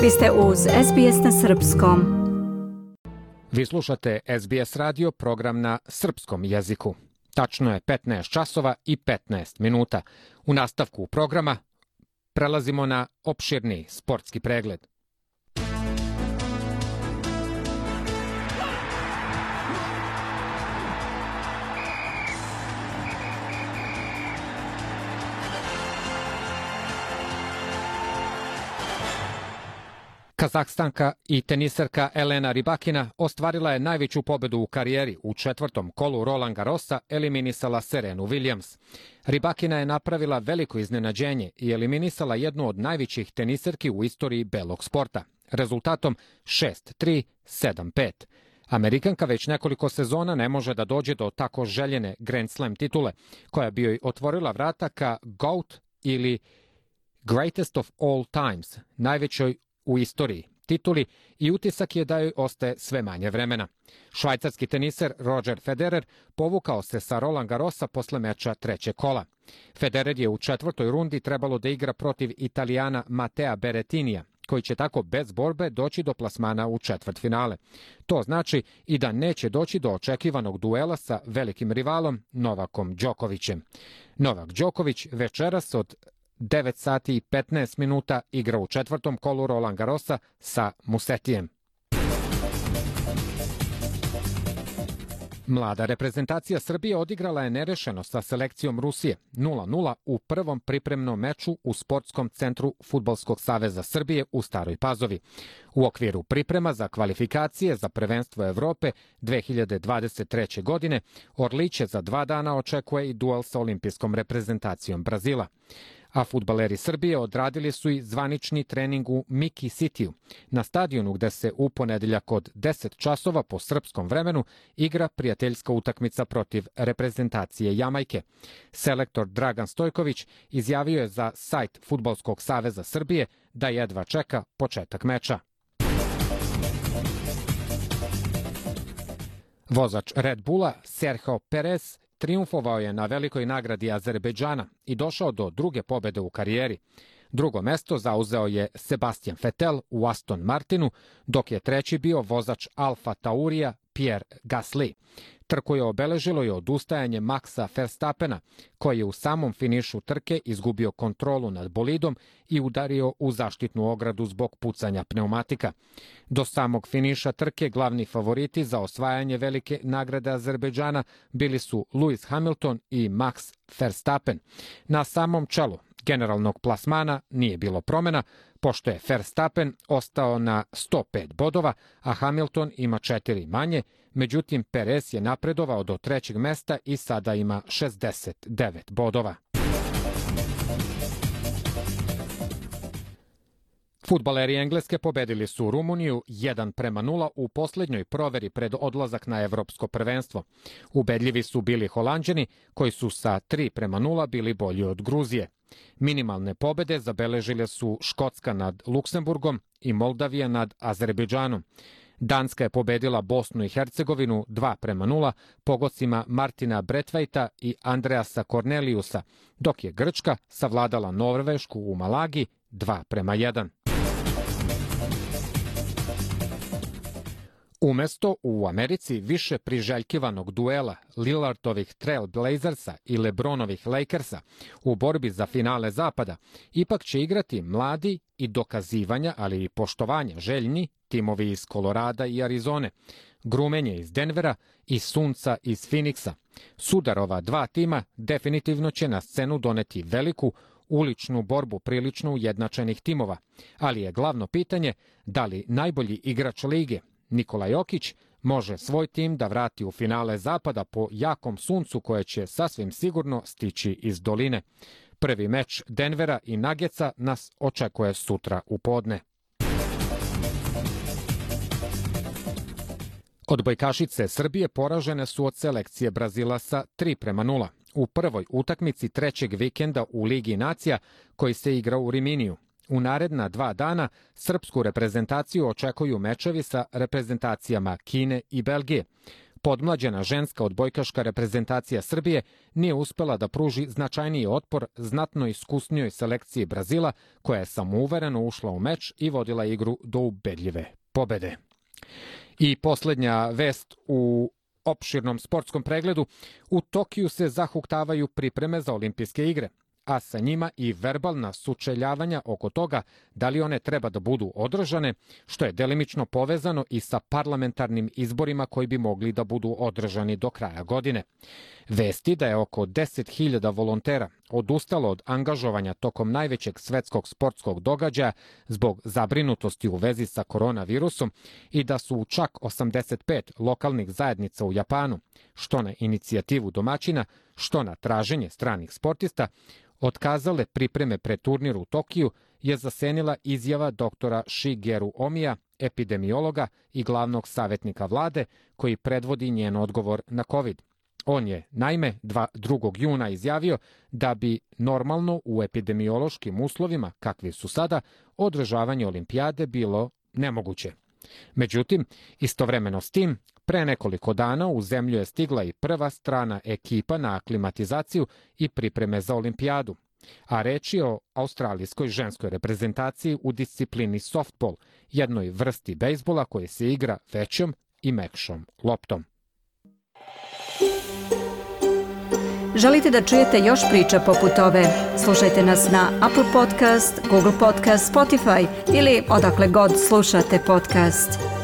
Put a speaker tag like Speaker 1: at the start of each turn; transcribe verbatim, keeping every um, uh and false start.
Speaker 1: Vi ste uz S B S na srpskom.
Speaker 2: Vi slušate S B S radio, program na srpskom jeziku. Tačno je petnaest časova i petnaest minuta. U nastavku programa prelazimo na opširni sportski pregled. Kazahstanka i teniserka Elena Rybakina ostvarila je najveću pobedu u karijeri. U četvrtom kolu Roland Garrosa eliminisala Serenu Williams. Rybakina je napravila veliko iznenađenje i eliminisala jednu od najvećih teniserki u istoriji belog sporta. Rezultatom šest tri, sedam pet. Amerikanka već nekoliko sezona ne može da dođe do tako željene Grand Slam titule, koja bi joj otvorila vrata ka GOAT ili Greatest of All Times, najvećoj u istoriji tituli, i utisak je da joj ostaje sve manje vremena. Švajcarski teniser Roger Federer povukao se sa Roland Garrosa posle meča trećeg kola. Federer je u četvrtoj rundi trebalo da igra protiv Italijana Matea Berrettinija, koji će tako bez borbe doći do plasmana u četvrtfinale. To znači i da neće doći do očekivanog duela sa velikim rivalom Novakom Đokovićem. Novak Đoković večeras od devet sati i petnaest minuta igra u četvrtom kolu Roland Garrosa sa Musetijem. Mlada reprezentacija Srbije odigrala je nerešeno sa selekcijom Rusije nula nula u prvom pripremnom meču u Sportskom centru Fudbalskog saveza Srbije u Staroj Pazovi. U okviru priprema za kvalifikacije za prvenstvo Evrope dve hiljade dvadeset treće. godine Orliće za dva dana očekuje i duel sa olimpijskom reprezentacijom Brazila. A fudbaleri Srbije odradili su i zvanični trening u Miki Cityu, na stadionu gde se u ponedeljak od deset časova po srpskom vremenu igra prijateljska utakmica protiv reprezentacije Jamajke. Selektor Dragan Stojković izjavio je za sajt Fudbalskog saveza Srbije da jedva čeka početak meča. Vozač Red Bulla Sergio Perez triumfovao je na velikoj nagradi Azerbejdžana i došao do druge pobede u karijeri. Drugo mesto zauzeo je Sebastian Vettel u Aston Martinu, dok je treći bio vozač Alfa Taurija Pierre Gasly. Trku je obeležilo i odustajanje Maxa Verstappena, koji je u samom finišu trke izgubio kontrolu nad bolidom i udario u zaštitnu ogradu zbog pucanja pneumatika. Do samog finiša trke glavni favoriti za osvajanje velike nagrade Azerbejdžana bili su Lewis Hamilton i Max Verstappen. Na samom čelu generalnog plasmana nije bilo promena, pošto je Verstappen ostao na sto pet bodova, a Hamilton ima četiri manje, međutim Perez je napredovao do trećeg mesta i sada ima šezdeset devet bodova. Fudbaleri Engleske pobedili su Rumuniju jedan prema nula u poslednjoj proveri pred odlazak na evropsko prvenstvo. Ubedljivi su bili Holanđani, koji su sa tri prema nula bili bolji od Gruzije. Minimalne pobede zabeležile su Škotska nad Luksemburgom i Moldavija nad Azerbejdžanom. Danska je pobedila Bosnu i Hercegovinu dva prema nula pogodcima Martina Bretvaita i Andreasa Korneliusa, dok je Grčka savladala Norvešku u Malagi dva prema jedan. Umesto u Americi više priželjkivanog duela Lillardovih Trail Blazersa i Lebronovih Lakersa u borbi za finale Zapada, ipak će igrati mladi i dokazivanja, ali i poštovanja željni timovi iz Kolorada i Arizone, Grumenje iz Denvera i Sunca iz Phoenixa. Sudar ova dva tima definitivno će na scenu doneti veliku uličnu borbu prilično ujednačenih timova, ali je glavno pitanje da li najbolji igrač lige Nikola Jokić može svoj tim da vrati u finale Zapada po jakom suncu koje će sasvim sigurno stići iz doline. Prvi meč Denvera i Nuggetsa nas očekuje sutra u podne. Odbojkašice Srbije poražene su od selekcije Brazila sa tri prema nula u prvoj utakmici trećeg vikenda u Ligi nacija koji se igra u Riminiju. U naredna dva dana srpsku reprezentaciju očekuju mečevi sa reprezentacijama Kine i Belgije. Podmlađena ženska odbojkaška reprezentacija Srbije nije uspela da pruži značajniji otpor znatno iskusnijoj selekciji Brazila, koja je samouvereno ušla u meč i vodila igru do ubedljive pobede. I posljednja vest u opširnom sportskom pregledu: u Tokiju se zahuktavaju pripreme za olimpijske igre, a sa njima i verbalna sučeljavanja oko toga da li one treba da budu održane, što je delimično povezano i sa parlamentarnim izborima koji bi mogli da budu održani do kraja godine. Vesti da je oko deset hiljada volontera odustalo od angažovanja tokom najvećeg svetskog sportskog događaja zbog zabrinutosti u vezi sa koronavirusom i da su u čak osamdeset pet lokalnih zajednica u Japanu, što na inicijativu domaćina, što na traženje stranih sportista, otkazale pripreme pred turnir u Tokiju, je zasenila izjava doktora Shigeru Omija, epidemiologa i glavnog savjetnika vlade, koji predvodi njen odgovor na COVID. On je, naime, drugog juna izjavio da bi normalno u epidemiološkim uslovima, kakvi su sada, održavanje olimpijade bilo nemoguće. Međutim, istovremeno s tim, pre nekoliko dana u zemlju je stigla i prva strana ekipa na aklimatizaciju i pripreme za olimpijadu, a reč je o australijskoj ženskoj reprezentaciji u disciplini softball, jednoj vrsti bejsbola koje se igra većom i mekšom loptom.
Speaker 1: Želite da čujete još priča poput ove? Slušajte nas na Apple Podcast, Google Podcast, Spotify ili odakle god slušate podcast.